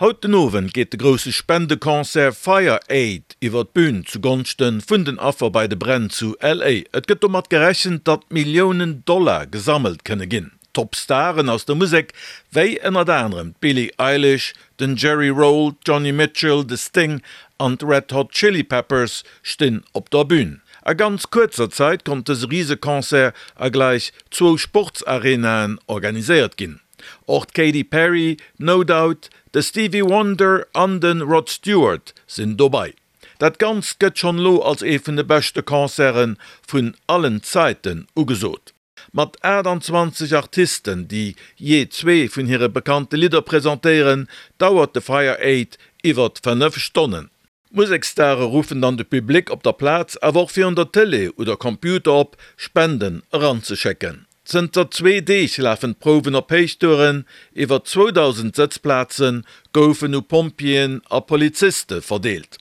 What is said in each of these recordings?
Haut den Owend geet de grousse Spendeconcert Fire Aid iwwer d'Bün zu Gonschte vun den Affer bei de Bränn zu LA. Et gëtt domat gerechent, datt Milliounen Dollar gesammelt kënne ginn. Top-Staren aus der Musek, wéi ënnert anerem d'Billie Eilish, den Jerry Roll, d'Joni Mitchell, de Sting an d'Red Hot Chili Peppers stinn op der Bün. A ganz kuerzer Zäit konnt dëse Riseconcert a gläich zwou Sportsarenaen organiséiert ginn. Och d'Katy Perry, No Doubt, de Stevie Wonder an de Rod Stewart sinn dobei. Dat Ganzt gëtt schonn elo als ee vun de beschte Concerte vun allen Zäiten ugesot. Mat 28 Artisten, déi jee zwee vun hire bekannte Lidder presentéieren, dauert de Fire Aid iwwert 5 Stonnen. D'Museksstare ruffen dann de Public op der Plaz, awer och virun der Tëlee oder Computer op, Spenden eranzeschécken. Zënter zwee Deeg lafen d'Prouwen op Héichtouren, iwwer 2.000 Sëtzplaze goufen u Pompjeeën a Poliziste verdeelt.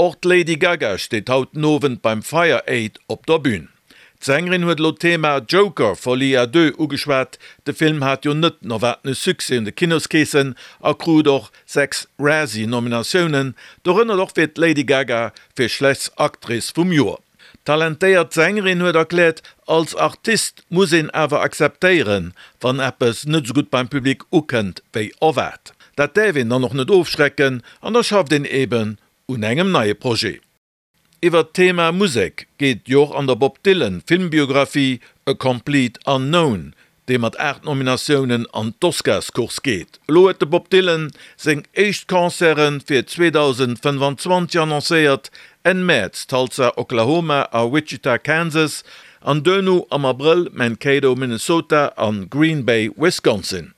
Och d'Lady Gaga steet haut den Owend beim Fire Aid op der Bün. D'Sängerin huet elo d'Thema Joker, Folie à deux ugeschwat. De Film hat jo net den erwaartene Succès un de Kinoskeesen a krut och 6 Razzie-Nominatiounen, dorënner och fir d'Lady Gaga fir schlechtst Actrice vum Joer. D'talentéiert Sängerin huet erkläert, als Artist muss een awer akzeptéieren, wann eppes net esou gutt beim Public ukënnt wéi erwaart. Dat däerf een dann och net ofschrecken an da schafft een eben un engem neie Projet. Iwwert d'Thema Musek geet jo och an der Bob Dylan Filmbiographie A Complete Unknown, dee mat 8 Nominatiounen an d'Oscarscourse geet. Elo huet de Bob Dylan seng éischt Concerte fir 2025 annoncéiert, Enn Mäerz Tulsa, Oklahoma a Wichita, Kansas, an duerno am Abrëll Mankato, Minnesota a Green Bay, Wisconsin.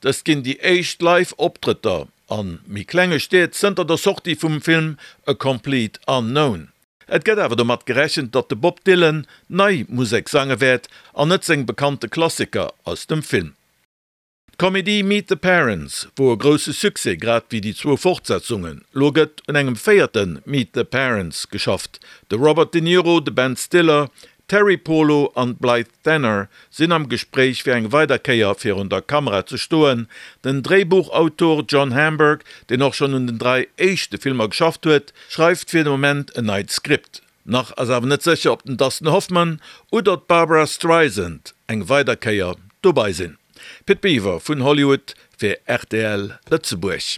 Dëst ginn déi éischt Live-Optrëtter a méi klenge Stied zënter der Sortie vum Film A Complete Unknown. Et gëtt awer domat gerechent, datt de Bob Dylan nei Musek sange wäert an net seng bekannte Klassiker aus dem Film. D'Komedie Meet the Parents wor e grousse Succès, grad wéi déi zwou Fortsetzungen. Lo gëtt un engem véierte Meet the Parents geschafft. De Robert De Niro, de Ben Stiller, D'Teri Polo an d'Blythe Danner sinn am Gespréich fir eng weider Kéier virun der Kamera ze stoen. Den Dréibuchautor John Hamburg, deen och schonn un den 3 éischte Filmer geschafft huet, schreift fir de Moment en neit Skript. Nach ass awer net sécher, ob den Dustin Hoffman oder d'Barbra Streisand eng weider Kéier dobei sinn. Pit Biwer vun Hollywood fir rtl Lëtzebuerg.